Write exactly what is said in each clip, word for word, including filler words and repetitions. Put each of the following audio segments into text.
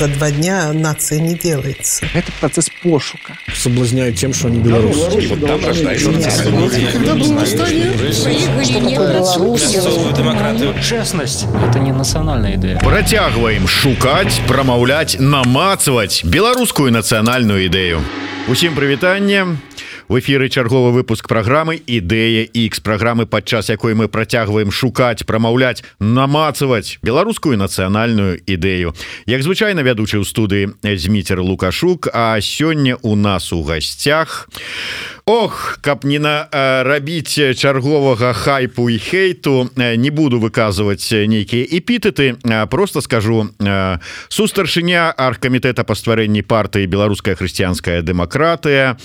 за два дня нация не делается. Это процесс пошука. Соблазняют тем, что они белорусы. Вот там рождаются демократию. Честность – это не национальная идея. Працягваем шукаць, прамаўляць, намацваць беларускую нацыянальную ідэю. Усім прывітанне. В эфіры чарговы выпуск праграмы «Ідэя Х», праграмы, падчас якой мы працягваем шукаць, прамаўляць, намацваць беларускую нацыянальную ідэю. Як звычайна, вядучы ў студыі Зміцер Лукашук, а сёння у нас у гасцях... Ох, каб не нарабіць чарговага хайпу і хейту, не буду выказваць нейкія эпітэты, просто скажу. Сустаршыня аргкамітэта па стварэнні партыі «Беларуская хрысціянская дэмакратыя»,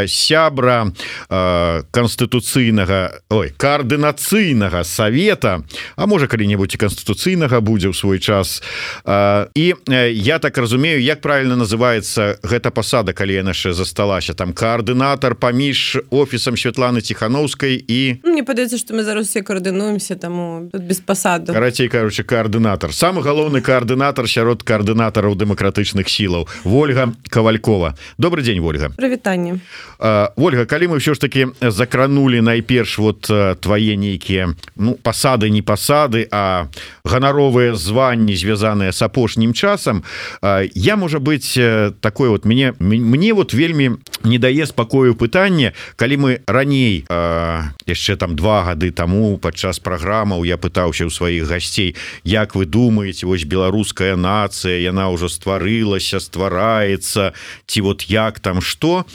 сябра канстытуцыйнага, ой, коаардынацыйнага савета, а можа калі-небудзь і канстытуцыйнага будзе ў свой час. І я так разумею, як правильно называецца гэта пасада, калі яна яшчэ засталася, там коаардынатар паміж офісам Святланы Ціхановскай і... Мне падаецца, што мы зараз все коаардынуемся, таму тут без пасаду. Карацей, кажучы, коаардынатар. Самы галоўны коаардынатар сярод коаардынатараў дэмакратычных сілаў. Вольга Кавалькова. Добрый дзень, Вольга. Прывітанне. Вольга, калі мы ўсё ж таки закранули найперш вот твае нейкія, ну, пасады, не пасады, а ганаровыя званні, звязаныя с апошнім часам, я, можа быць, такой вот, мне, мне вот вельмі не дае спакою пытанне, калі мы раней э, яшчэ там два гады таму падчас праграмаў я пытаўся ў сваіх гасцей, як вы думаеце, вось беларуская нацыя, яна ўжо стварылася, ствараецца, ці вот як там што,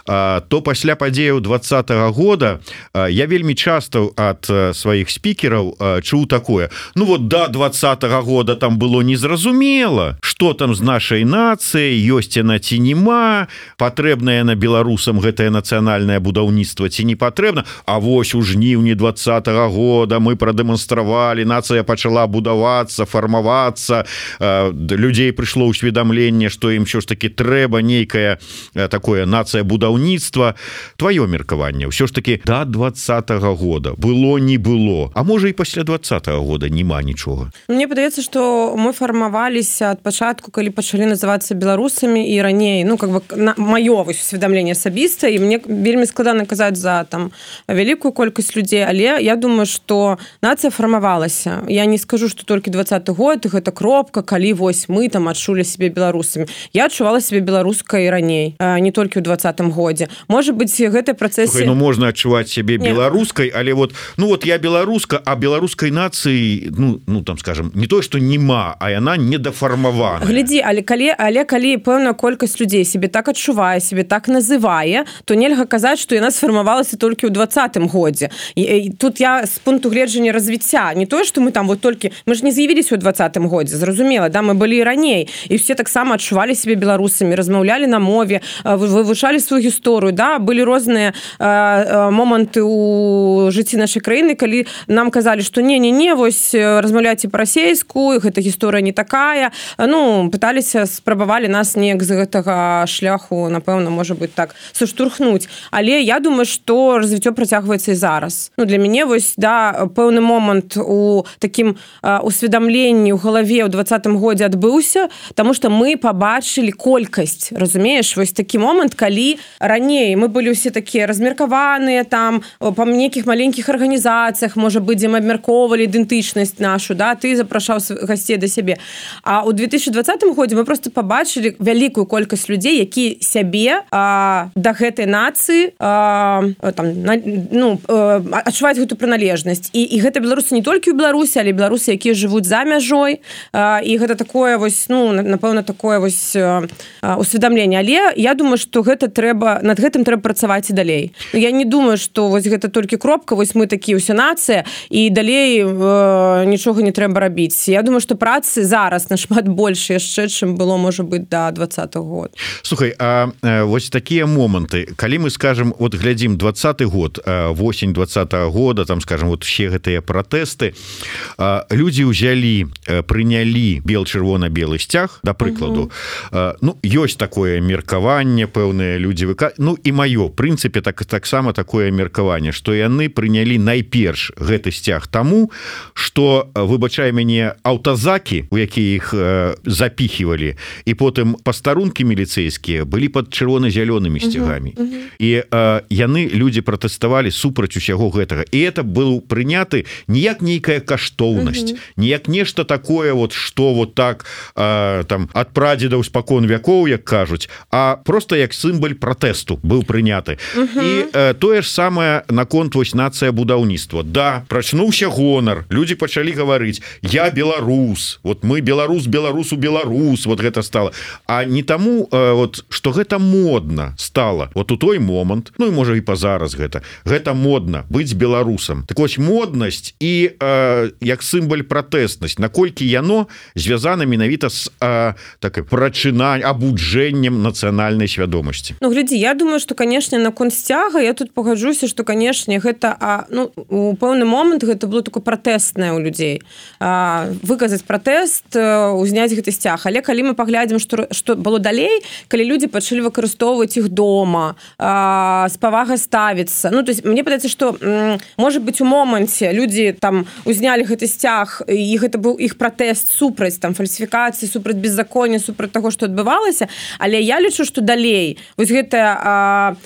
э, то пасля падзеяў двадцатага года э, я вельмі часта ад э, сваіх спікераў э, чуў такое: ну вот да двадцатага года там было незразумела, што там з нашай нацыяй, ёсць яна ці нема, патрэбная на беларусам гэтае нацыянальнае будаўніцтва ці не патрэбна. А вось у жніўні двадцатага года мы прадэманстравалі, нацыя пачала будавацца, фармавацца, людзей прыйшло ўсведамленне, што ім ўсё ж таки трэба нейкае такое нацыя будаўніцтва. Тваё меркаванне, ўсё ж таки да двадцатага года было, не было, а можа і пасля двадцатага года няма нічога. Мне падаецца, што мы фармаваліся ад пачатку, калі пачалі называцца беларусамі, і раней, ну как бы маё усведамленне асабіста, і мне вельмі складана казаць за там вялікую колькасць людзей, але я думаю, што нацыя фармавалася. Я не скажу, што толькі двадцаты год гэта кропка, калі вось мы там адчулі сябе беларусамі. Я адчувала сябе беларускай раней, не толькі ў двадцатым годзе. Можа быць, гэты працэс... Ну, можна адчуваць сябе беларускай, але вот, ну вот я беларуска, а беларускай нацыі, ну, ну там скажем, не то, што нема, а яна недафармавана. Глядзі, але калі, але калі пэўная колькасць людзей сябе так адчувае, сябе так называе, то нельга казаць, што яна сфармавалася толькі ў двадцатым годзе. І, і тут я з пункту гледжання развіцця, не тое, што мы там вот толькі, мы ж не з'явіліся ў двадцатым годзе, зразумела, да, мы былі і раней, і все таксама адчувалі сябе беларусамі, размаўлялі на мове, вывучалі сваю гісторыю, да, былі розныя э, моманты ў жыцці нашай краіны, калі нам казалі, што не-не-не, вось размаўляйце па-расейску, гэта гісторыя не такая, ну, пыталіся, спрабавалі нас неяк з гэтага шляху, напэўна, можа быць так, саштурхнуць. Але я думаю, што развіццё працягваецца і зараз. Ну, для мяне вось, да, пэўны момант у такім э, усведамленні ў галаве ў двадцатым годзе адбыўся, таму што мы пабачылі колькасць, разумееш, вось такі момант, калі раней мы былі ўсе такія размеркаваныя там па нейкіх маленькіх арганізацыях, можа быць, дзе мы абмяркоўвалі ідэнтычнасць нашу, да, ты запрашаў гасцей да сябе. А ў две тысячы двадцатым годзе мы проста пабачылі вялікую колькасць людзей, які сябе а, да гэтай нацыі а, там, на, ну, адчуваюць гэту прыналежнасць. І, і гэта беларусы не толькі ў Беларусі, але беларусы, якія жывуць за мяжой. А, і гэта такое вось, ну, напэўна, такое вось а, усведамленне. Але я думаю, што гэта трэба, над гэтым трэба працаваць і далей. Я не думаю, што вось гэта толькі кропка, вось мы такія ўся нацыя, і далей э, нічога не трэба рабіць. Я думаю, што працы зараз нашмат больш яшчэ, чым было, можа быць, да двадцатага года. Слухай, а вось такія моманты, калі мы скажем вот глядзім двадцаты год, восень двадцатого года, там скажем вот все гэтыя пратэсты, людзі ўзялі, прынялі бел-чырвона-белы сцяг, да прыкладу. Угу. Ну ёсць такое меркаванне, пэўныя людзі выка... ну і маё прынцыпе так таксама такое меркаванне, што яны прынялі найперш гэты сцяг таму, што, выбачай мяне, аўтазакі, у якія іх запіхівалі, і потым пастарункі міліцэйскія былі пад чырвона-зялёнымі сцягамі. Uh -huh, uh -huh. І э, яны, людзі пратэставалі супраць усяго гэтага. І это быў прыняты не як нейкая каштоўнасць, uh -huh. не як нешта такое, вот, што вот так э, там ад прадзедаў спакон вякоў, як кажуць, а просто як сімвал пратэсту быў прыняты. Uh -huh. І э, тое ж самае наконт вось нацыя будаўніцтва. Да, прачнуўся гонар, людзі пачалі гаварыць: я беларус, вот мы беларус, беларусу, беларус, вот гэта стало. А не таму, э, вот, што гэта модна стало вот у той момант, ну і можа і па зараз гэта гэта модна быць беларусам. Так вось моднасць і э, як сімвал пратэснасць, наколькі яно звязана менавіта з э, такой прачынань абуджэннем нацыянальнай свядомасці. Ну глядзі, я думаю, што канешне наконт сцяга я тут пагаджуся, што канешне гэта а, ну, у пэўны момант гэта было такое пратэстнае ў людзей, а, выказаць пратэст, узняць гэты сцяг. Але калі мы паглядзім, што, што было далей, калі людзі пачалі выкарыстоўваць іх дома, а, з павагай ставіцца, ну то есть мне падаецца, што можа быць у моманце людзі там узнялі гэты сцяг і гэта быў іх пратэст супраць там фальсіфікацыі, супраць беззаконня, супраць таго, што адбывалася, але я лічу, што далей вось гэтае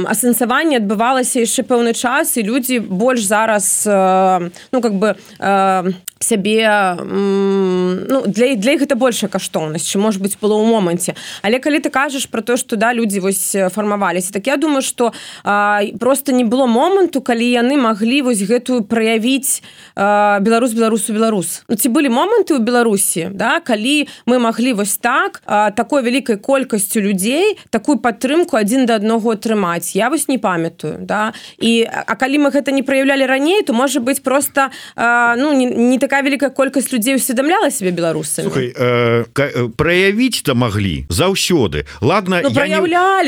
асэнсаванне адбывалася яшчэ пэўны час, і людзі больш зараз а, ну как бы а, сябе, ну для, для іх гэта большая каштоўнасць, чым можа быць было ў моманце. Але калі ты кажаш про то, што да людзі вось фармаваліся, так я думаю, што а, просто не было моманту, калі яны маглі вось гэтую праявіць а, беларус беларусу беларус. Ну, ці былі моманты ў Беларусі, да, калі мы маглі вось так а, такой вялікай колькасцю людзей такую падтрымку адзін да аднаго атрымаць. Я вось не памятаю, да. І а калі мы гэта не праяўлялі раней, то можа быць просто а, ну не, не такая вялікая колькасць людзей усведамляла себе беларусамі. Слухай, э, праявіць-то маглі заўсёды. Ладно, ну, я не,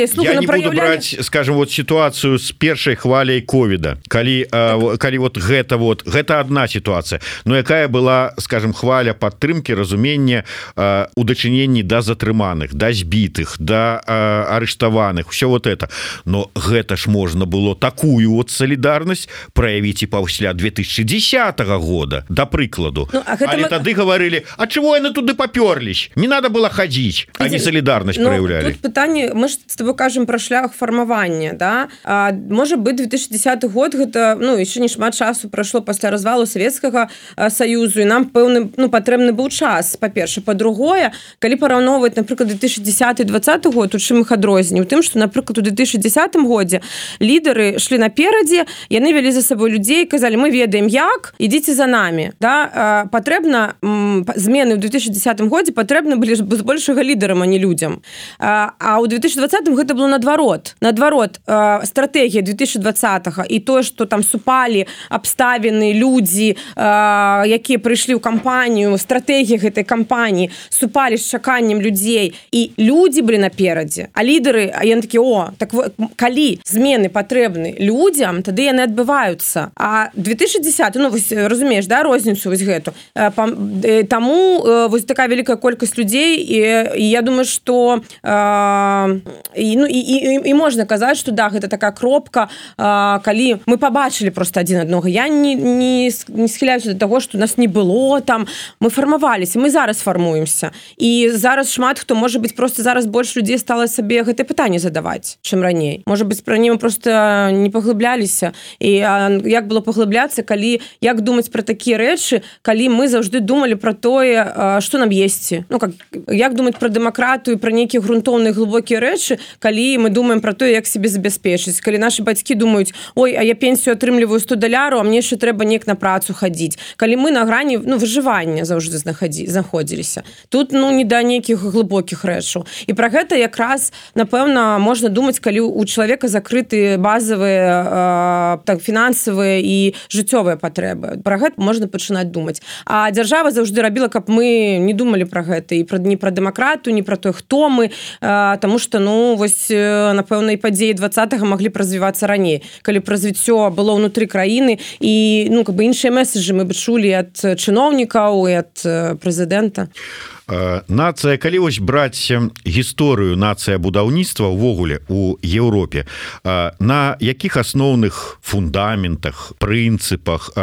Слухай, я ну, не буду браць, скажем, вот ситуацию с першай хваляй ковіда, калі, так. э, калі вот гэта вот гэта одна ситуация, но якая была, скажем, хваля падтрымки, разумення э, у дачыненні да затрыманых, да збітых, да э, арыштаваных, все вот это. Но гэта ж можна было такую вот солідарнасць праявіць і пасля две тысячи десятого года, да прыкладу. Ну, а але мы... тады говорили: а чего яны туды попёрлись? Не надо было ходить, а не солідарнасць ну, проявляли. Тут пытанне, мы ж с тобой кажем про шлях фармавання, да? А, можа быть, две тысячи десятый год гэта, ну, еще не шмат часу прайшло пасля развалу Савецкага Саюзу, і нам пэўны, ну, патрэбны быў час, па-першае. Па-другое, калі параўноўваць, напрыклад, две тысячи десятый двадцатый год, у чым іх адрозненне? У тым, што, напрыклад, у две тысячи десятым годзе лідары шлі наперадзе, яны вялі за сабой людзей, казалі: мы ведаем як, ідзіце за намі, да? Патрэбна змены ў две тысячи десятым годзе патрэбны былі збольшага лідарам, а не людзям. А ў две тысячи двадцатым гэта было наадварот. Наадварот, стратэгія две тысячи двадцатого і тое, што там супалі абставіны, людзі, якія прыйшлі ў кампанію, стратэгія гэтай кампаніі супалі з чаканнем людзей, і людзі былі наперадзе, а лідары, а яны такі: о, так калі змены патрэбны людзям, тады яны адбываюцца. А две тысячи десятый, ну, вось, разумееш, да, розніцу вось гэту. Таму вось такая вялікая колькасць людзей, і, і я думаю, што і, ну, і, і, і можна казаць, што да, гэта такая кропка, калі мы пабачылі просто адзін аднаго. Я не, не, не схіляюся да таго, што нас не было там, мы фармаваліся, мы зараз фармуемся. І зараз шмат хто, можа быць, просто зараз больш людзей стала сабе гэтае пытанне задаваць, чым раней. Можа быць, пра мы просто не паглыбляліся. І як было паглыбляцца, калі, як думаць пра такія рэчы, калі мы заўжды думалі пра тое, што нам есці. Ну, как, як думаць пра дэмакратыю, пра нейкія грунтоўныя глыбокія рэчы, калі мы думаем пра тое, як себе забяспечыць. Калі нашы бацькі думаюць: ой, а я пенсію атрымліваю сто даляраў, а мне яшчэ трэба неяк на працу хадзіць. Калі мы на грані, ну, выжывання заўжды знаходзіліся. Тут, ну, не да нейкіх глыбокіх рэчаў. І пра гэта якраз, напэўна, можна думаць, калі у чалавека закрыты базавыя, так, фінансавыя і жыццёвыя патрэбы. Пра гэта можна пачынаць думаць. А дзяржава заўжды робіла зрабіла, каб мы не думалі пра гэта і пра не пра дэмакратыю, не пра то, хто мы, таму што ну вось напэўна і падзеі двадцатага маглі б развівацца раней, калі б развіццё было ўнутры краіны і ну как бы іншыя меседжы мы бы чулі ад чыноўнікаў і ад прэзідэнта. Нацыя, калі вось браць гісторыю нацыя будаўніцтва ўвогуле у Еўропе, на якіх асноўных фундаментах, прынцыпах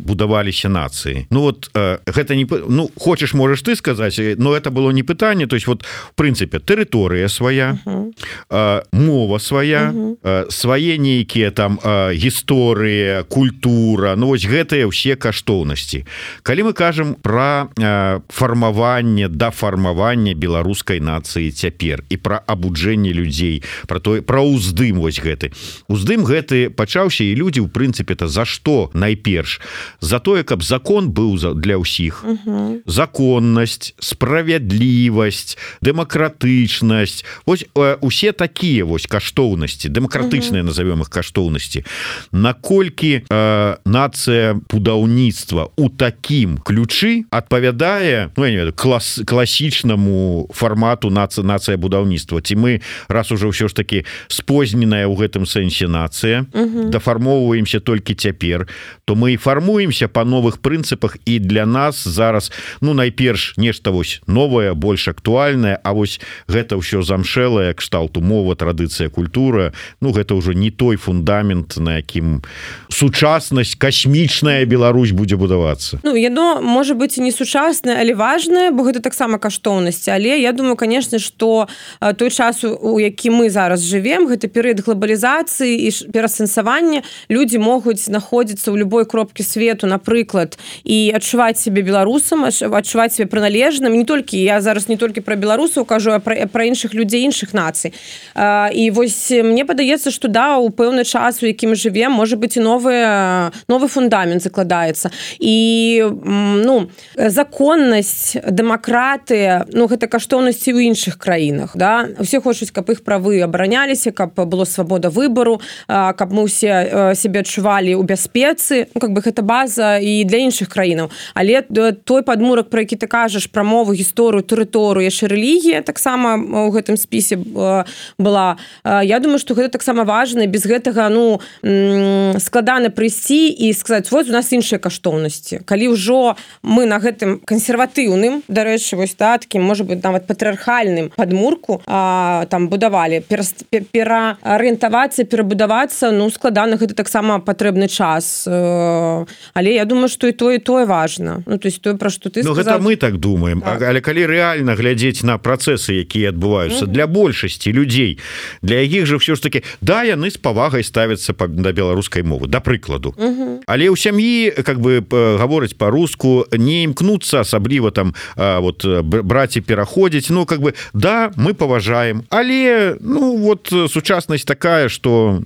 будаваліся нацыі? Ну вот гэта не, ну хочаш можаш ты сказаць, но это было не пытанне, то есть вот в прынцыпе тэрыторыя свая, uh -huh. мова свая, uh -huh. свае нейкія там гісторыя, культура, ну вось гэтыя ўсе каштоўнасці. Калі мы кажам пра фармаванне да фармавання беларускай нацыі цяпер і пра абуджэнне людзей, пра тое, пра ўздым вось гэты. Уздым гэты пачаўся, і людзі ў прынцыпе-то за што найперш? За тое, каб закон быў для ўсіх. Uh-huh. Законнасць, справядлівасць, дэмакратычнасць. Вось усе такія вось каштоўнасці, дэмакратычныя, uh-huh. назовём іх каштоўнасці. Наколькі э, нацыя будаўніцтва ў такім ключы адпавядае, ну я не ведаю, клас класічнаму фармату нацыя нацыя будаўніцтва, ці мы раз уже ўсё ж таки спозненая ў гэтым сэнсе нацыя, uh-huh. дафармоўваемся толькі цяпер, то мы і фармуемся па новых прынцыпах, і для нас зараз ну найперш нешта вось новае, больш актуальнае, а вось гэта ўсё замшэлае кшталту мова, традыцыя, культура, ну гэта ўжо не той фундамент, на якім сучаснасць, касмічная Беларусь будзе будавацца. Ну яно можа быць і не сучаснае, але важнае, бо гэта таксама каштоўнасці, але я думаю, конечно, што той час, у які мы зараз жывем, гэта перыяд глобалізацыі і перасэнсавання, людзі могуць знаходзіцца ў любой кропкі свету, напрыклад, і адчуваць сябе беларусам, адчуваць сябе прыналежным, не толькі, я зараз не толькі пра беларусаў кажу, а пра, пра іншых людзей, іншых нацый. І вось мне падаецца, што да, у пэўны час, у які мы жывем, можа быць і новы, новы фундамент закладаецца. І ну, законнасць, дэмакратыя, ну гэта каштоўнасці ў іншых краінах, да? Усе хочуць, каб іх правы абараняліся, каб было свабода выбару, каб мы ўсе сябе адчувалі ў бяспецы, ну как бы гэта база і для іншых краінаў. Але той падмурак, про які ты кажаш, пра мову, гісторыю, тэрыторыю, яшчэ рэлігія таксама ў гэтым спісе была. Я думаю, што гэта таксама важна, без гэтага ну складана прыйсці і сказаць, вось у нас іншыя каштоўнасці. Калі ўжо мы на гэтым кансерватыўным, дарэчы, вось так, такім, можа быць, нават патрыархальным падмурку а, там будавалі, пераарыентавацца, перабудавацца, ну складана, гэта таксама патрэбны час. Але я думаю, што і тое, і тое важна. Ну, то есть тое, пра што ты ну, сказаў. Гэта мы так думаем. Так. Але калі рэальна глядзець на працэсы, якія адбываюцца mm-hmm. для большасці людзей, для якіх жа ўсё ж таки, да, яны з павагай ставяцца да беларускай мовы, да прыкладу. Mm-hmm. Але ў сям'і, как бы, гавораць па-руску, не імкнуцца асабліва там вот браць і пераходзіць. Ну, как бы, да, мы паважаем, але, ну, вот сучаснасць такая, што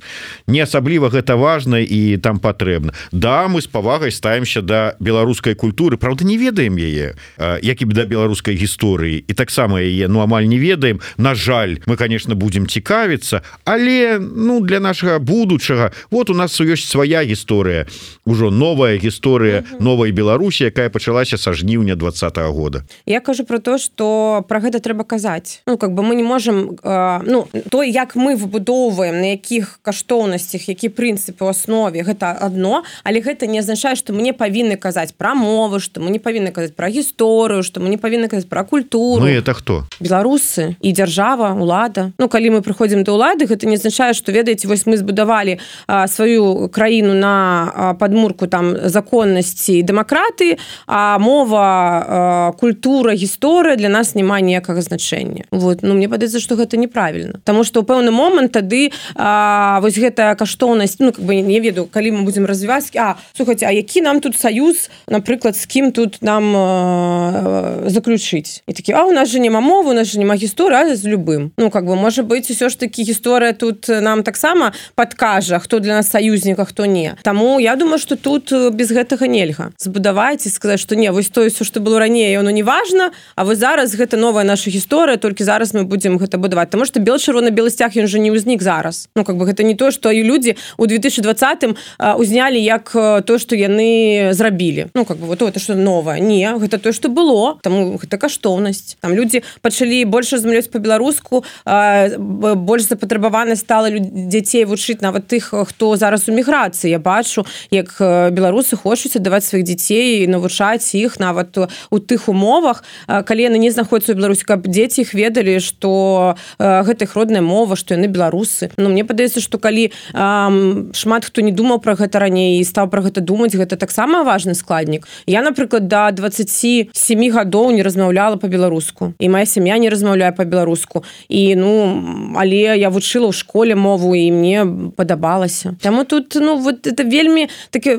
не асабліва гэта важна і там патрэбна. Да, мы з павагай ставімся да беларускай культуры, правда, не ведаем яе, як і да беларускай гісторыі, і таксама яе, ну, амаль не ведаем. На жаль, мы, конечно, будзем цікавіцца, але, ну, для нашага будучага, вот у нас ёсць свая гісторыя, ужо новая гісторыя новай Беларусі, якая пачалася са жніўня двадцатага года. Я кажу про то, што пра гэта трэба казаць. Ну, как бы мы не можам, э, ну, то, як мы выбудоўваем, на якіх каштоўнасцях, які прынцыпы ў аснове, гэта адно, але гэта не азначае, што мы не павінны казаць пра мову, што мы не павінны казаць пра гісторыю, што мы не павінны казаць пра культуру. Мы это хто? Беларусы і дзяржава, улада. Ну, калі мы прыходзім да ўлады, гэта не азначае, што, ведаеце, вось мы збудавалі а, сваю краіну на а, падмурку там законнасці і дэмакратыі, а мова, а, культура, гісторыя для нас не мае ніякага значэння. Вот. Ну, мне падаецца, што гэта неправільна. Таму што ў пэўны момант тады а, вось гэтая каштоўнасць, ну, как бы, не ведаю, калі мы будзем развіваць, а, слухайце, а які нам тут саюз, напрыклад, з кім тут нам а, заключыць? І такі, а, у нас же няма мовы, у нас же няма гісторыі, а з любым. Ну, как бы, можа быць, усё ж такі гісторыя тут нам таксама падкажа, хто для нас саюзнік, а хто не. Таму я думаю, што тут без гэтага нельга збудаваць і сказаць, што не, вось тое, ўсё, што было раней, оно не важна, можна, а вось зараз гэта новая наша гісторыя, толькі зараз мы будзем гэта будаваць, таму што бел-чырвона-белы сцяг ён жа не ўзнік зараз. Ну как бы гэта не то, што і людзі ў две тысячы двадцатым узнялі як то, што яны зрабілі. Ну как бы вот это што новае. Не, гэта тое, што было, таму гэта каштоўнасць. Там людзі пачалі больш размаўляць па-беларуску, больш запатрабавана стала дзяцей вучыць, нават тых, хто зараз у міграцыі. Я бачу, як беларусы хочуць аддаваць сваіх дзяцей і навучаць іх нават у тых умовах, калі яны не знаходзяцца ў Беларусі, каб дзеці іх ведалі, што гэта іх родная мова, што яны беларусы. Ну, мне падаецца, што калі эм, шмат хто не думаў пра гэта раней і стаў пра гэта думаць, гэта таксама важны складнік. Я, напрыклад, да дваццаці сямі гадоў не размаўляла па-беларуску. І моя сям'я не размаўляе па-беларуску. І, ну, але я вучыла ў школе мову, і мне падабалася. Таму тут, ну, вот это вельмі такі,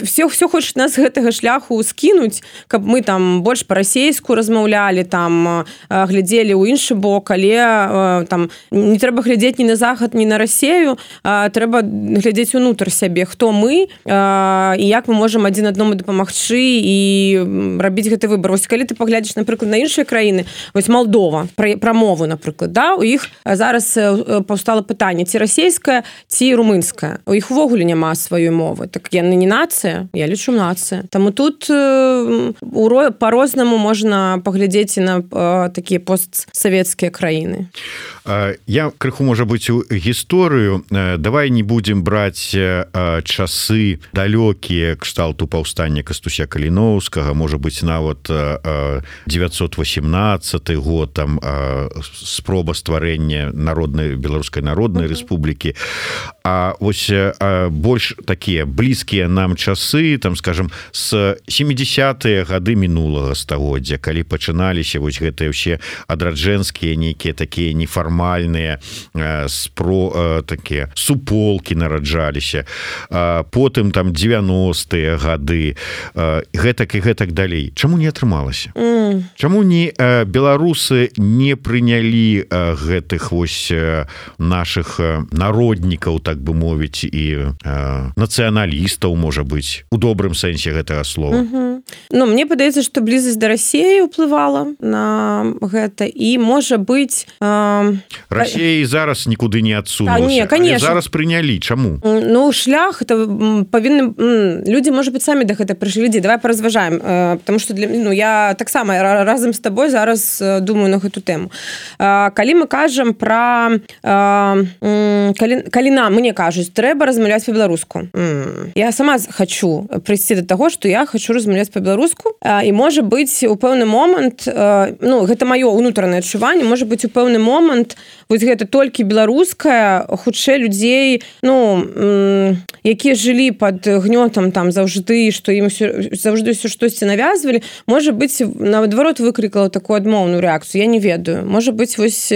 все, все хочуць нас з гэтага шляху скінуць, каб мы там больш па-расейску размаўлялі, там глядзелі ў іншы бок, але там не трэба глядзець ні на захад, ні на Расею, трэба глядзець унутр сябе, хто мы і як мы можам адзін аднаму дапамагчы і рабіць гэты выбар. Вось калі ты паглядзіш, напрыклад, на іншыя краіны, вось Малдова, пра, пра мову, напрыклад, да, у іх зараз паўстала пытанне, ці расейская, ці румынская. У іх увогуле няма сваёй мовы. Так яны не нацыя, я лічу нацыя. Таму тут па-рознаму можна паглядзець і на такія постсавецкія краіны. Я крыху, можа быць, у гісторыю. Давай не будзем браць часы далёкія кшталту паўстання Кастуся Каліноўскага, можа быць, нават девятьсот восемнадцаты год, там спроба стварэння народнай беларускай народнай рэспублікі. А вось больш такія блізкія нам часы, там, скажем, з семидесятыя гады мінулага стагоддзя, калі пачыналіся вось гэтыя ўсе адраджэнскія нейкія такія нефармальныя спро такія суполкі нараджаліся, потым там девяностыя гады, гэтак і гэтак далей. Чаму не атрымалася? Mm. Чаму не беларусы не прынялі гэтых вось наших народнікаў, так бы мовіць, і нацыяналістаў, можа быць, у добрым сэнсе гэтага слова? Mm-hmm. Ну, мне падаецца, што блізасць да Расеі ўплывала на гэта, і можа быць э... Расея зараз нікуды не адсунулася. А, не, конечно. Зараз прынялі. Чаму? Ну, шлях это павінны людзі, можа быць, самі да гэта прыйшлі. Давай паразважаем, э, потому что для, ну, я таксама разам з табой зараз думаю на гэту тэму. Э, калі мы кажам пра э, калі, калі нам мне кажуць, трэба размаўляць па-беларуску. Я сама хочу прыйсці да таго, што я хочу размаўляць па-беларуску, і можа быць у пэўны момант, ну, гэта маё ўнутранае адчуванне, можа быць у пэўны момант вось гэта толькі беларуская, хутчэй людзей, ну, якія жылі пад гнётам там заўжды, што ім заўжды ўсё штосьці навязвалі, можа быць, наадварот выклікала такую адмоўную рэакцыю, я не ведаю. Можа быць, вось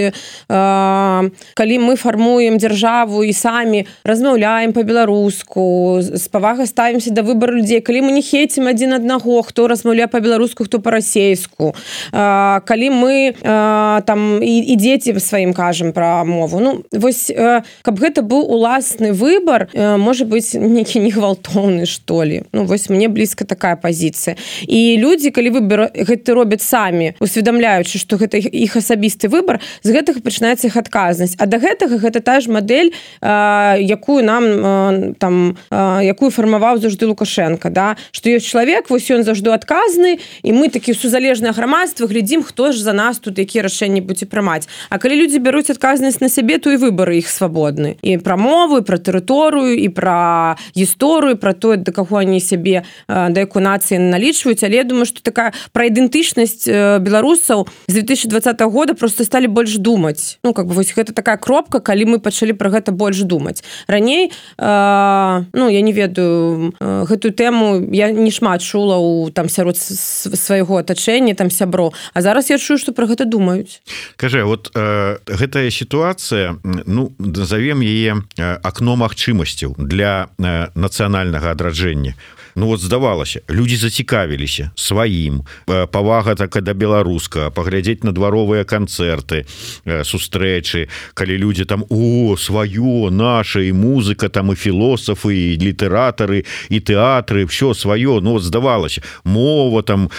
калі мы фармуем дзяржаву і самі размаўляем па-беларуску, з павагай ставімся да выбару людзей, калі мы не хейцім адзін аднаго, хто размаўляе па-беларуску, хто па-расейску, калі мы там і, і дзеці сваім кажам пра мову. Ну, вось, каб гэта быў уласны выбар, можа быць, нейкі негвалтоўны, што ли. Ну, вось мне блізка такая пазіцыя. І людзі, калі выбар гэта робяць самі, усведамляючы, што гэта іх асабісты выбар, з гэтага пачынаецца іх адказнасць. А да гэтага гэта та ж мадэль, якую нам там, якую фармаваў заўжды Лукашенко, да? Што ёсць чалавек, вось ён заўжды адказны, і мы такі сузалежнае грамадства глядзім, хто ж за нас тут якія рашэнні будзе прымаць. А калі людзі бяруць адказнасць на сябе, то і выбары іх свабодны. І пра мову, і пра тэрыторыю, і пра гісторыю, пра тое, да каго они сябе, да якой нацыі налічваюць. Але я думаю, што такая пра ідэнтычнасць беларусаў з две тысячи двадцатого года просто сталі больш думаць. Ну, как бы, вось гэта такая кропка, калі мы пачалі пра гэта больш думаць. Раней, э, ну, я не ведаю, э, гэтую тэму я не шмат чула ў там сярод свайго атачэння, там сяброў. А зараз я чую, што пра гэта думаюць. Кажа, вот э, гэтая сітуацыя, ну, назовем яе акно магчымасцяў для э, нацыянальнага адраджэння. Ну вот здавалася, людзі зацікавіліся сваім, павага так да беларуска, паглядзець на дваровыя канцэрты, сустрэчы, калі людзі там о, сваё, наша, і музыка, там і філосафы, і літаратары, і тэатры, все сваё, ну вот здавалася, мова там,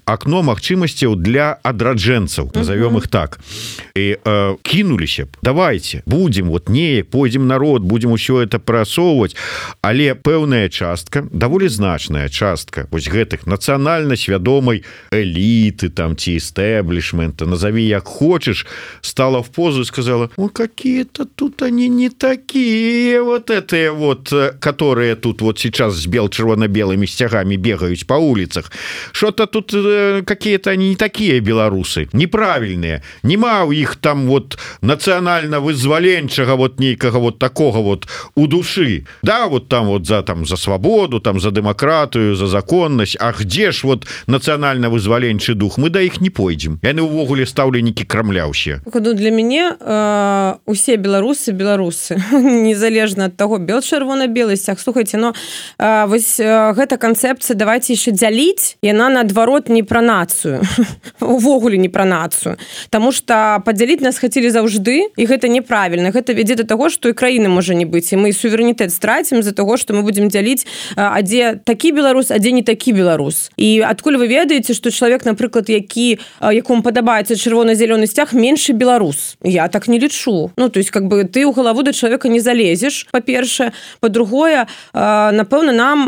акно магчымасцяў для адраджэнцаў, назовём их так. І э, кінуліся б, давайте, будем вот неяк, пойдзем народ, будем усё это прасоўваць, але пэўная частка, даволі значная частка вось гэтых нацыянальна свядомай эліты там ці эстэблішмента, назови як хочешь, стала в позу и сказала: ну какие-то тут они не такие, вот это вот, которые тут вот сейчас с бел-червоно-белыми стягами бегают по улицах, что-то тут какие-то они не такие белорусы, неправильные, нема у их там вот национально-вызволенчего вот нейкого вот такого вот у души, да, вот там вот за там за свободу, там за демократию, за законность, а где ж вот национально-вызволенчий дух, мы до их не пойдем, яны увогуле стаўленікі Крамля ўсе. Ну, для мяне э, усе беларусы беларусы незалежна ад таго бел чырвона-белы сцяг. Слухайте, но э, вось э, гэта канцэпцыя давайте яшчэ дзяліць, яна наадварот не пра нацыю увогуле не пра нацыю, таму што падзяліць нас хацелі заўжды, і гэта неправільна, гэта вядзе да таго, што і краіны можа не быць, і мы суверэнітэт страцім з-за таго, што мы будзем дзяліць, а дзе такі беларус, а дзе не такі беларус. І адкуль вы ведаеце, што чалавек, напрыклад, які якому падабаецца чырвона-зялёны сцяг, меншы беларус? Я так не лічу. Ну, то есть как бы ты ў галаву да чалавека не залезеш, па-першае, па-другое, напэўна, нам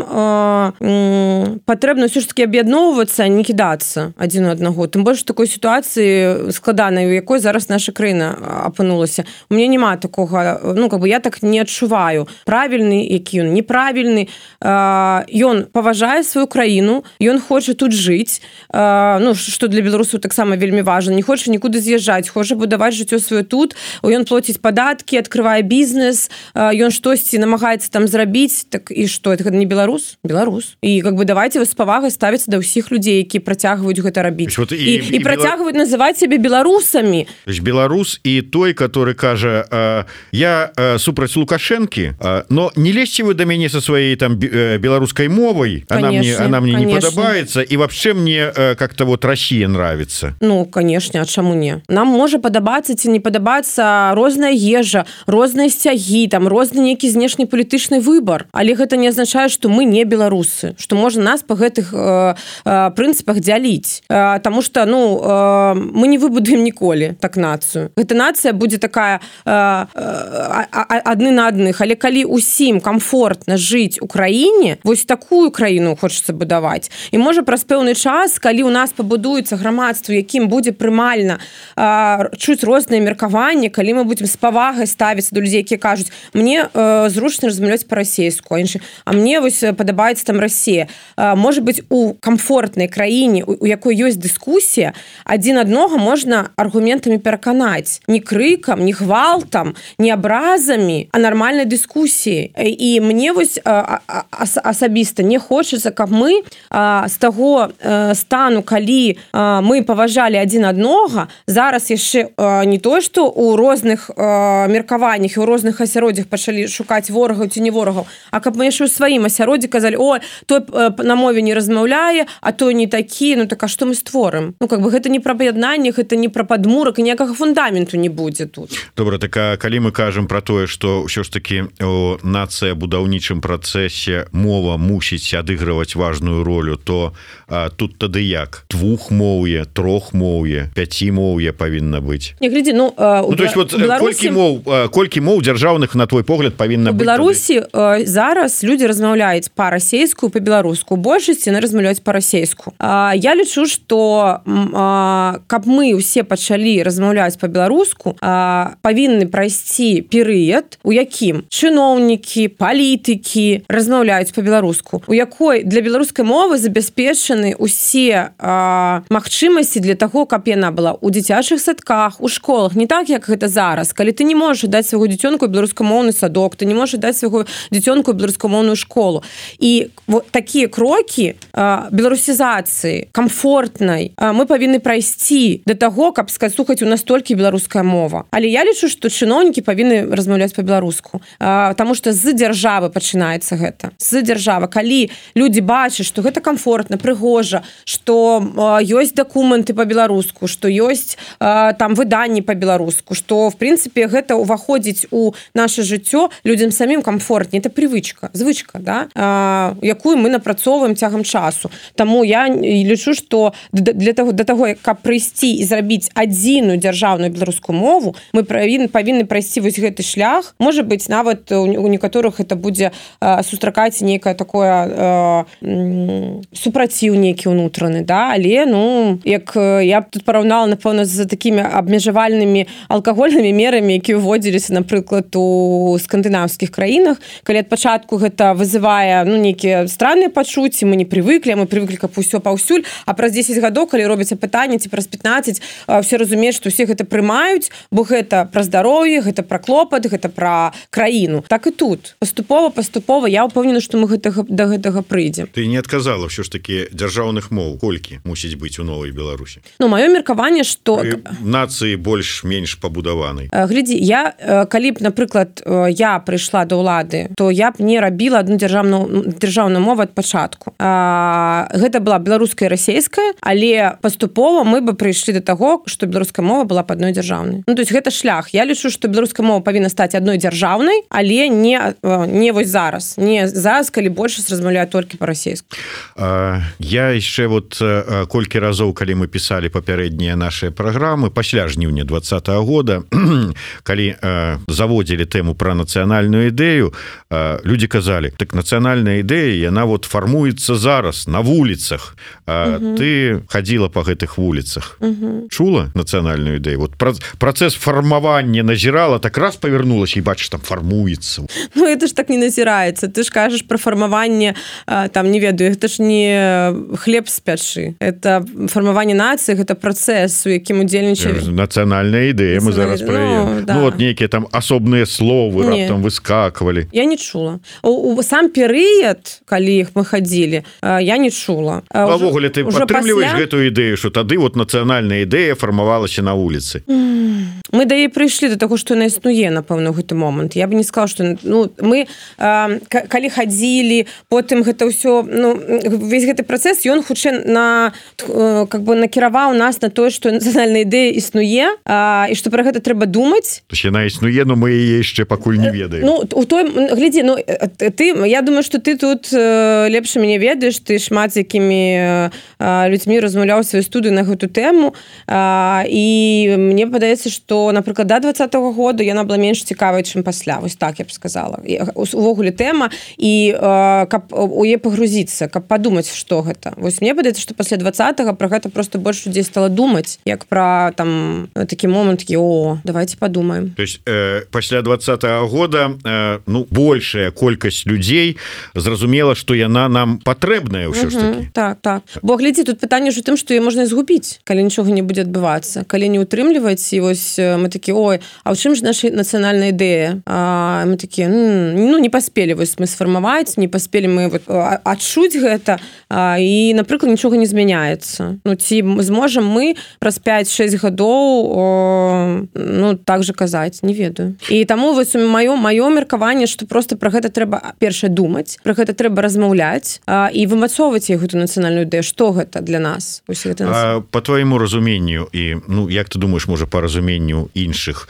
патрэбна ўсё ж таки аб'ядноўвацца, не кідацца адзін у аднаго. Тым больш такой сітуацыі складанай, у якой зараз наша краіна апынулася. У мяне няма такога, ну, как бы я так не адчуваю. Правільны, які ён, неправільны. Ён паважае сваю краіну, ён хоча тут жыць, ну, што для беларусаў таксама вельмі важна, не хоча нікуды з'язджаць, хоча будаваць жыццё сваё тут, ён плоціць падаткі, адкрывае бізнес, ён штосьці намагаецца там зрабіць, так і што, гэта не беларус? Беларус. І как бы давайте вы з павагай ставіцца да ўсіх людзей, які працягваюць гэта рабіць. Вот і, і, і, і працягваюць белар... называць сябе беларусамі. Беларус і той, который кажа, я супраць Лукашэнкі, но не лезьце вы да мяне со своей там беларускай мовай, она мне, она мне не падабаецца, і вообще мне как-то вот Россия нравится. Ну, конечно, а чаму не? Нам можа падабацца ці не падабацца розная ежа, розныя сцягі, там розны нейкі знешнепалітычны выбар, але гэта не азначае, што мы не беларусы, што можна нас па гэтых э, э, прынцыпах дзяліць, э, таму што, ну, э, мы не выбудуем ніколі так нацыю. Гэта нацыя будзе такая э, э, адны на адных, але калі усім комфортна жыць у краіне, вось такую краіну хочацца будаваць. І можа праз пэўны час, калі ў нас пабудуецца грамадства, якім будзе прымальна э, чуць розныя меркаванні, калі мы будзем з павагай ставіцца да людзей, якія кажуць, мне э, зручна размаўляць па-расейску, а іншы, а мне вось падабаецца там Расія. Э, можа быць, у комфортнай краіне, у, у якой ёсць дыскусія, адзін аднога можна аргументамі пераканаць. Не крыкам, не гвалтам, не абразамі, а нармальнай дыскусіяй. І мне вось э, ас, асабіста не хочацца, каб мы э, з таго э, стану, калі э, мы паважалі адзін аднога, зараз яшчэ э, не то, што у розных э, меркаваннях і ў розных асяроддзях пачалі шукаць ворагаў ці не ворагаў, а каб мы яшчэ ў сваім асяроддзі казалі, о, той э, на мове не размаўляе, а той не такі, ну так а што мы створым? Ну, как бы гэта не пра аб'яднанне, гэта не пра падмурак, і ніякага фундаменту не будзе тут. Добра, так а калі мы кажам пра тое, што ўсё ж такі у нацыя будаўнічым працэсе мова мусіць адыгрываць важную ролю, то а, тут тады як? Двухмоўе, трохмоўе, пяцімоўе павінна быць. Не, глядзі, ну, э, ну то есть вот Беларусі... колькі моў, колькі моў дзяржаўных, на твой погляд, павінна быць? У Беларусі э, зараз людзі размаўляюць па-расейску, па-беларуску. Большасць яны размаўляюць па-расейску. Э, я лічу, што э, каб мы ўсе пачалі размаўляць па-беларуску, э, павінны прайсці перыяд, у якім чыноўнікі, палітыкі размаўляюць па-беларуску, у якой для беларускай мовы забяспечаны усе э, магчымасці для таго, каб яна была ў дзіцячых садках, у школах, не так, як гэта зараз, калі ты не можаш даць свайго дзіцёнку беларускамоўны садок, ты не можаш даць свайго дзіцёнку беларускамоўную школу. І вот такія крокі э, беларусізацыі камфортнай э, мы павінны прайсці да таго, каб сказаць, слухаць, у нас толькі беларуская мова. Але я лічу, што чыноўнікі павінны размаўляць па-беларуску, э, таму што з дзяржавы пачынаецца гэта. З дзяржава, калі людзі бачаць, што гэта комфортна, прыгожа, што ёсць дакументы па-беларуску, што ёсць там выданні па-беларуску, што в прынцыпе гэта ўваходзіць у наше жыццё, людзям самім комфортней, это привычка, звычка, да? а, якую мы напрацоўваем цягам часу. Таму я лічу, што для таго, для таго, каб прыйсці і зрабіць адзіную дзяржаўную беларускую мову, мы павінны, павінны прайсці вось гэты шлях. Можа быць, нават у некаторых это будзе а, сустракаць некае такое а, супраціў нейкі ўнутраны, да? Але, ну, як я б тут параўнала, напэўна, з такімі абмежавальнымі алкагольнымі мерамі, які ўводзіліся, напрыклад, у скандынаўскіх краінах, калі ад пачатку гэта вызывае, ну, нейкія странныя пачуцці, мы не прывыклі, мы прывыклі, каб усё паўсюль, а праз дзесяць гадоў, калі робіцца пытанне, ці праз пятнаццаць, все разумеюць, што ўсе гэта прымаюць, бо гэта пра здароўе, гэта пра клопат, гэта пра краіну. Так і тут. Паступова, паступова, я ўпэўнена, што мы гэтага, да гэтага прыйдзем. Ты не адказала ўсё ж такі дзяржаўных моў, колькі мусіць быць у новай Беларусі? Ну, маё меркаванне, што... Нацыі больш-менш пабудаванай. Глядзі, я, калі б, напрыклад, я прыйшла да ўлады, то я б не рабіла адну дзяржаўную, дзяржаўную мову ад пачатку. А, гэта была беларуская і расейская, але паступова мы бы прыйшлі да таго, што беларуская мова была б адной дзяржаўнай. Ну, то есть гэта шлях. Я лічу, што беларуская мова павінна стаць адной дзяржаўнай, але не, не вось зараз. Не зараз, калі большасць размаўляе толькі па-расейску. А, я яшчэ вот колькі разоў, калі мы пісалі папярэднія нашыя праграмы, пасля жніўня двадцатага года, калі а, заводзілі тэму пра нацыянальную ідэю, а, людзі казалі, так нацыянальная ідэя, яна вот фармуецца зараз на вуліцах. А, угу. Ты хадзіла па гэтых вуліцах. Угу. Чула нацыянальную ідэю? Вот працэс фармавання назірала, так раз павярнулася і бачыш, там фармуецца. Ну, это ж так не назіраецца. Ты ж кажаш пра фармаванне, там, не ведаю, гэта ж не хлеб з пячы. Это фармаванне нацыі, гэта працэс, у якім удзельнічалі. Нацыянальная ідэя, мы зараз пра яе. Ну, да. Ну, вот нейкія там асобныя словы не. Раптам выскаквалі. Я не чула. У, у сам перыяд, калі іх мы хадзілі, я не чула. Увогуле, ты падтрымліваеш пасля... гэтую ідэю, што тады вот нацыянальная ідэя фармавалася на вуліцы. Мы да яе прыйшлі да таго, што яна існуе, напэўна, ў гэты момант. Я бы не сказала, што ну, мы, э, калі хадзілі, потым гэта ўсё, ну, весь гэты працэс, ён хутчэй на, э, как бы накіраваў нас на тое, што нацыянальная ідэя існуе, э, і што пра гэта трэба думаць. То есть яна існуе, но мы яе яшчэ пакуль не ведаем. Ну, у той, глядзі, ну, ты, я думаю, што ты тут э, лепш мяне ведаеш, ты шмат з якімі э, людзьмі размаўляў сваю студыю на гэту тэму, э, і мне падаецца, што, напрыклад, да двадцатага года яна была менш цікавая, чым пасля. Вось так я б сказала. Увогуле тэма, і э, каб у яе пагрузіцца, каб падумаць, што гэта. Вось мне падаецца, што пасля двадцатага пра гэта проста больш людзей стала думаць, як пра там такі момант, такі, о, давайте падумаем. То есть э, пасля двадцатага года э, ну, большая колькасць людзей зразумела, што яна нам патрэбная ўсё ж такі. Так, так. Бо глядзі, тут пытанне ж у тым, што яе можна згубіць, калі нічога не будзе адбывацца. Калі не ўтрымліваць, і вось мы такі, ой, а ў чым ж наша нацыянальная ідэя? А мы такі, ну, не паспелі вось мы сфармаваць, не паспелі мы вот, адчуць гэта, а, і, напрыклад, нічога не змяняецца. Ну, ці зможам мы праз пяць-шэсць гадоў о, ну, так же казаць, не ведаю. І таму вось маё, маё меркаванне, што проста пра гэта трэба першае думаць, пра гэта трэба размаўляць а, і вымацоўваць гэту нацыянальную ідэю. Што гэта для нас? Ось гэта нас... А, по твайму разуменню, і, ну, як ты думаеш, можа, па разуменню іншых,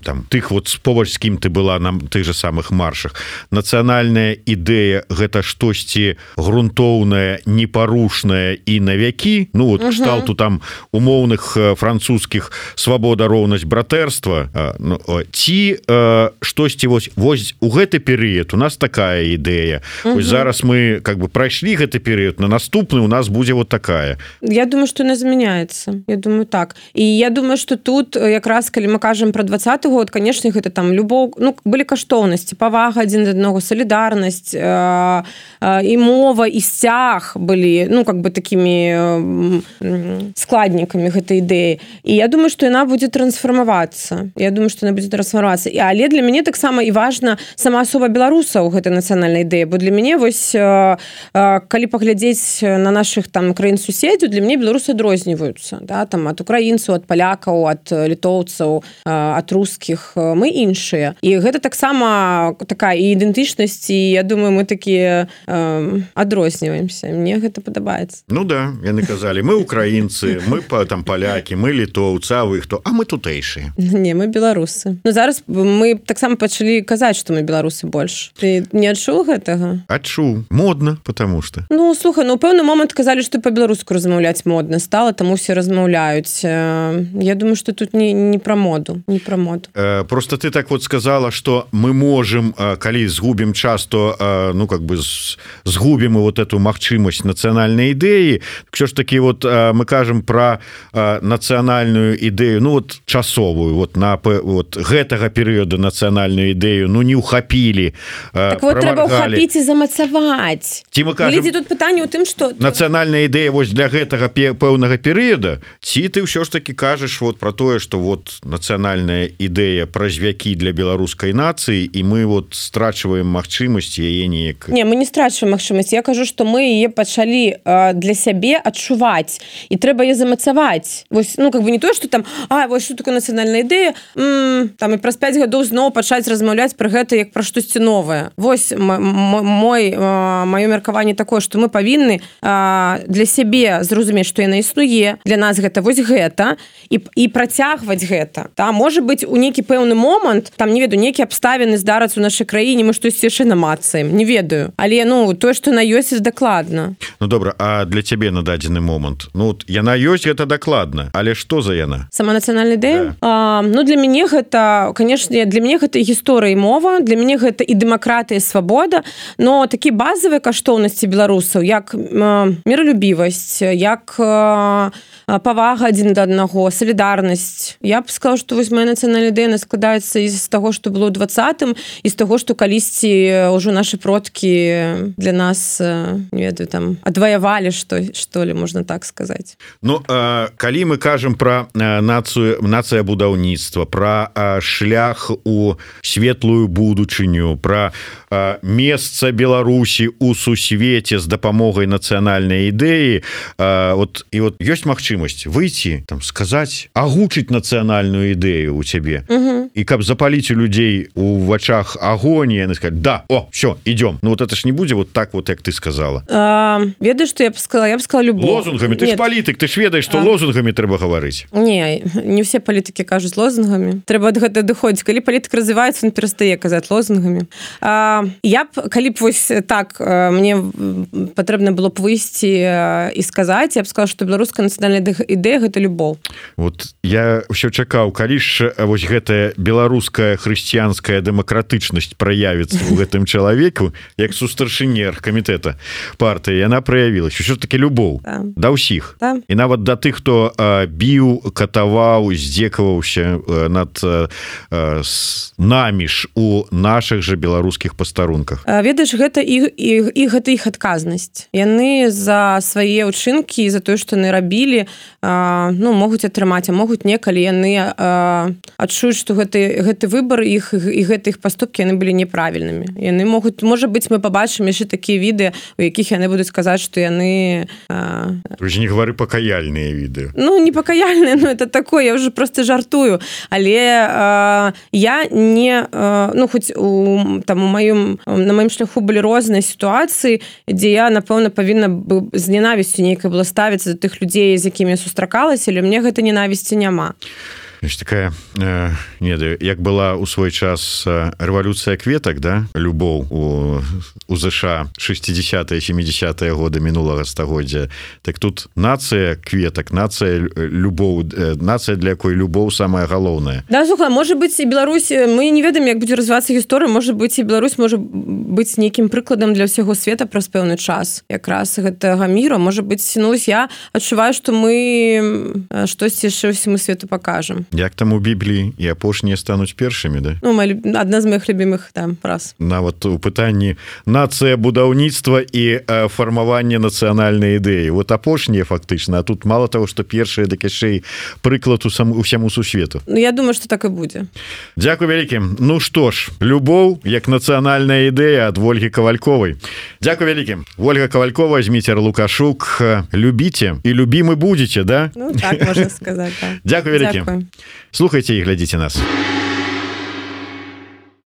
там, тых вот побач з кім ты была на тых же самых маршах, нацыянальная ідэя гэта штосьці грунтоўнае, непарушнае і на вякі, ну вот угу. кшталту там умоўных французскіх свабода, роўнасць, братэрства, ну, ці э, штосьці вось, вось у гэты перыяд у нас такая ідэя. Угу. Вось зараз мы как бы прайшлі гэты перыяд, на наступны у нас будзе вот такая. Я думаю, што яна змяняецца. Я думаю, так. І я думаю, што тут якраз калі мы кажам пра двадцаты год, конечно, гэта там любоў, ну, былі каштоўнасці, павага адзін да аднаго, салідарнасць, э, э, і мова, і сцяг былі, ну, как бы такімі э, складнікамі гэтай ідэі. І я думаю, што яна будзе трансформавацца трансфармавацца. Я думаю, што яна будзе трансфармавацца. І але для мяне таксама і важна сама асоба беларусаў гэтай нацыянальнай ідэі, бо для мяне вось калі паглядзець на нашых там краін суседзяў, для мяне беларусы адрозніваюцца, да, там ад украінцаў, ад палякаў, ад літоўцаў, ад рускіх, мы іншыя. І гэта таксама такая і ідэнтычнасць, і я думаю, мы такія э, адрозніваемся. Мне гэта падабаецца. Ну да, яны казалі, мы украінцы, мы там палякі, мы літоўцы, а вы хто? А мы тутэйшыя. Не, мы беларусы. Ну зараз мы таксама пачалі казаць, што мы беларусы больш. Ты не адчуў гэтага? Адчуў. Модна, потому что. Ну, слухай, ну, у пэўны момант казалі, што па-беларуску размаўляць модна стала, таму все размаўляюць. Я думаю, што тут не, не пра моду, не пра моду. Э, просто ты так вот сказала, что мы можем, калі згубім час, то, ну, как бы згубім вот эту магчымасць нацыянальнай ідэі. Що ж таки, вот мы кажам пра нацыянальную ідэю, ну, вот часовую, вот на вот гэтага перыяда нацыянальную ідэю, ну, не ухапілі, так вот трэба ухапіць і замацаваць. Ці мы кажам, тут пытанне ў тым, што нацыянальная ідэя вось для гэтага пэўнага перыяда, ці ты ўсё ж таки кажаш вот про тое, што вот нацыянальная ідэя праз вякі для беларускай нацыі, і мы вот страчваем магчымасць яе неяк. Не, мы не страчваем магчымасць. Я кажу, што мы яе пачалі э, для сябе адчуваць, і трэба яе замацаваць. Вось, ну, как бы не тое, што там, а, вось што такое нацыянальная ідэя, м-м, там і праз пяць гадоў зноў пачаць размаўляць пра гэта як пра штосьці новае. Вось мой, маё меркаванне такое, што мы павінны а, для сябе зразумець, што яна існуе, для нас гэта вось гэта, і, і працягваць гэта. Та, можа быць, у нейкі пэўны момант, там, не ведаю, нейкія абставіны здарацца ў нашай краіне, мы штосьці яшчэ намацаем, не ведаю. Але, ну, тое, што на ёсць, дакладна. Ну, добра, а для цябе на дадзены момант? Ну, яна ёсць, гэта дакладна, але што за яна? Сама нацыянальная ідэя? Да. А, ну, для мяне гэта, канешне, для мяне гэта гісторыя і мова, для мяне гэта і дэмакратыя, і свабода, но такі базавыя каштоўнасці беларусаў, як э, міралюбівасць, як э, павага адзін да аднаго, салідарнасць. Я б сказала, што вось моя нацыянальная ідэя складаецца з таго, што было ў двадцатым, і з таго, што калісьці ўжо нашы продкі для нас, не ведаю, там, адваявалі, што, што ли, можна так сказаць. Ну, э, калі мы кажам пра э, нацыю, нацыя будаўніцтва, пра э, шлях у светлую будучыню, пра э, месца Беларусі у сусвеце з дапамогай нацыянальнай ідэі, э, вот, і вот ёсць магчымасць выйти, там, сказаць, агучыць нацыянальную ідэю у цябе, угу. І каб запаліць у людзей у вачах агонь, яны сказаць, да, о, все, идем. Ну вот это ж не будзе вот так вот, як ты сказала. А, ведаеш, што я б сказала? Я б сказала любовь. Лозунгамі, ты Нет. ж палітык, ты ж ведаеш, што а. лозунгамі трэба гаварыць. Не, не все палітыкі кажуць лозунгамі. Трэба ад гэта дыходзіць. Калі палітык развіваецца, он перастае казаць лозунгамі. А, я б, калі б вось так, мне патрэбна было б выйсці і сказаць, я б сказала, што беларуская нацыянальная ідэя – гэта любоў. Вот я ўсё чакаў, калі ж вось гэтая беларуская хрысціянская дэмакратычнасць праявіцца у гэтым чалавеку, як сустаршыні камітэта партыі, яна праявілась. Усё ж таки любоў да. да ўсіх. Да. І нават да тых, хто а, біў, катаваў, здзекаваўся а, над а, с, намі ж у нашых жа беларускіх пастарунках. А, ведаеш, гэта і, і, і гэта іх адказнасць. Яны за свае ўчынкі, за тое, што яны рабілі, а, ну, могуць атрымаць, а могуць не, калі яны а, адчуюць, што гэты, гэты выбар іх і гэты іх паступкі яны былі неправільнымі. Яны могуць, можа быць, мы пабачым яшчэ такія відэа, у якіх яны будуць казаць, што яны... А... Вы ж не гавары пакаяльныя відэа. Ну, не пакаяльныя, но это такое, я ўжо просто жартую. Але а, я не... А, ну, хоць у, там, у маім, на маім шляху былі розныя сітуацыі, дзе я, напэўна, павінна бы з ненавісцю нейкай была ставіцца да тых людзей, з якімі я сустракалася, але мне гэта ненавісці няма. Такая, э, не ведаю, як была у свой час э, рэвалюцыя кветак, да, любоў у, у ЗША шестидесятые семидесятые годы мінулага стагоддзя, так тут нацыя кветак, нацыя любоў, э, нацыя, для якой любоў самая галоўная. Да, слухай, можа быць, і Беларусь, мы не ведаем, як будзе развівацца гісторыя, можа быць, і Беларусь можа быць нейкім прыкладам для ўсяго света праз пэўны час, якраз гэтага міру. Можа быць, ну, я адчуваю, што мы штосьці яшчэ ўсяму свету пакажам. як там у Бібліі і апошнія стануць першымі, да? Ну, моя, одна з моих любимых там фраз. Нават у пытанні нацыя будаўніцтва і э, фармавання нацыянальнай ідэі. Вот апошнія фактычна, а тут мало того, што першыя дык яшчэ прыклад усяму сусвету. Ну, я думаю, што так і будзе. Дзякуй вялікім. Ну што ж, любоў як нацыянальная ідэя ад Ольгі Кавальковай. Дзякуй вялікім. Ольга Кавалькова, Зміцер Лукашук. Любіце і любімы будзеце, да? Ну, так можна сказаць, да. Дзякуй вялікім. Слухайце і глядзіце нас.